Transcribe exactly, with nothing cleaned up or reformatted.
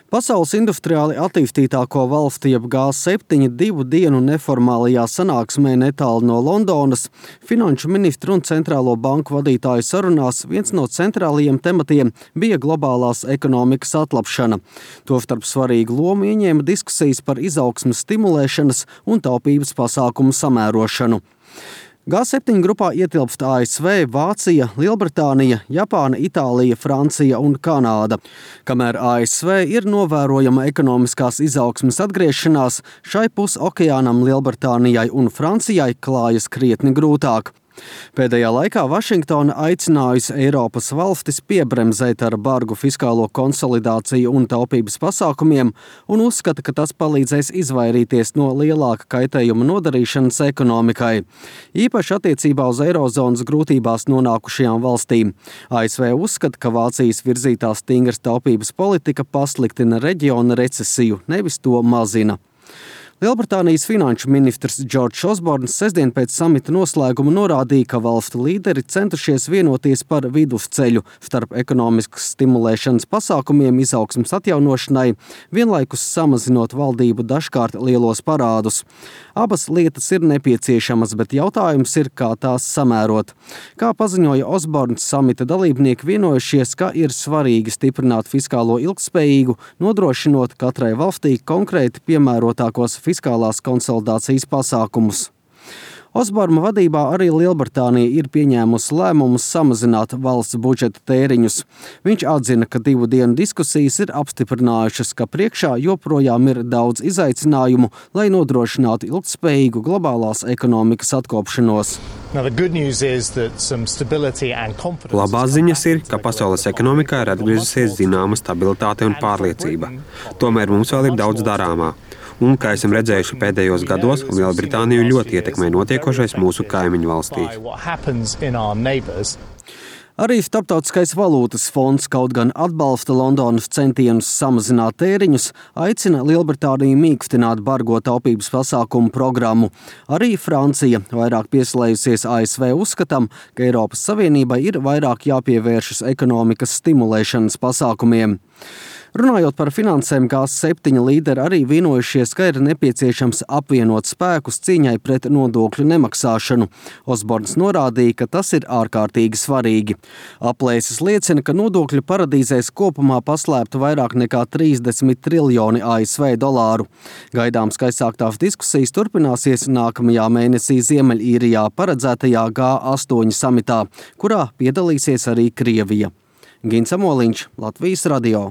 Pasaules industriāli attīstītāko valsti jeb G septiņi divu dienu neformālajā sanāksmē netālu no Londonas finanšu ministru un centrālo banku vadītāju sarunās viens no centrālajiem tematiem bija globālās ekonomikas atlapšana. Tostarp svarīgu lomu ieņēma diskusijas par izaugsmes stimulēšanas un taupības pasākumu samērošanu. G septiņi grupā ietilpst A S V, Vācija, Lielbritānija, Japāna, Itālija, Francija un Kanāda. Kamēr A S V ir novērojama ekonomiskās izaugsmes atgriešanās, šai pus okeānam Lielbritānijai un Francijai klājas krietni grūtāk. Pēdējā laikā Vašingtona aicinājusi Eiropas valstis piebremzēt ar bargu fiskālo konsolidāciju un taupības pasākumiem un uzskata, ka tas palīdzēs izvairīties no lielāka kaitējuma nodarīšanas ekonomikai. Īpaši attiecībā uz eirozonas grūtībās nonākušajām valstīm. A S V uzskata, ka Vācijas virzītā stingras taupības politika pasliktina reģiona recesiju, nevis to mazina. Lielbritānijas finanšu ministrs Džordžs Osborns sestdien pēc samita noslēguma norādīja, ka valstu līderi centušies vienoties par vidusceļu starp ekonomiskas stimulēšanas pasākumiem izaugsmes atjaunošanai, vienlaikus samazinot valdību dažkārt lielos parādus. Abas lietas ir nepieciešamas, bet jautājums ir, kā tās samērot. Kā paziņoja Osborns, samita dalībnieki vienojušies, ka ir svarīgi stiprināt fiskālo ilgtspējīgu, nodrošinot katrai valstī konkrēti piemērotākos fiskālās konsolidācijas pasākumus. Osborma vadībā arī Lielbritānija ir pieņēmusi lēmumus samazināt valsts budžeta tēriņus. Viņš atzina, ka divu dienu diskusijas ir apstiprinājušas, ka priekšā joprojām ir daudz izaicinājumu, lai nodrošinātu ilgtspējīgu globālās ekonomikas atkopšanos. Labās ziņas ir, ka pasaules ekonomikā ir atgriezusies zināma stabilitāte un pārliecība. Tomēr mums vēl ir daudz darāmā. Un, kā esam redzējuši pēdējos gados, Lielbritāniju ļoti ietekmē notiekošais mūsu kaimiņu valstīs. Arī Starptautiskais valūtas fonds, kaut gan atbalsta Londonas centienus samazināt tēriņus, aicina Lielbritāniju mīkstināt bargo taupības pasākumu programmu. Arī Francija, vairāk pieslējusies A S V uzskatam, ka Eiropas Savienībai ir vairāk jāpievēršas ekonomikas stimulēšanas pasākumiem. Runājot par finansēm, G septiņi līderi arī vienojušies, ka ir nepieciešams apvienot spēkus cīņai pret nodokļu nemaksāšanu. Osborns norādīja, ka tas ir ārkārtīgi svarīgi. Aplēses liecina, ka nodokļu paradīzēs kopumā paslēpta vairāk nekā trīsdesmit triljoni A S V dolāru. Gaidāms, ka aizsāktās diskusijas turpināsies nākamajā mēnesī Ziemeļīrijā paredzētajā G astoņi samitā, kurā piedalīsies arī Krievija. Gins Amoliņš, Latvijas radio.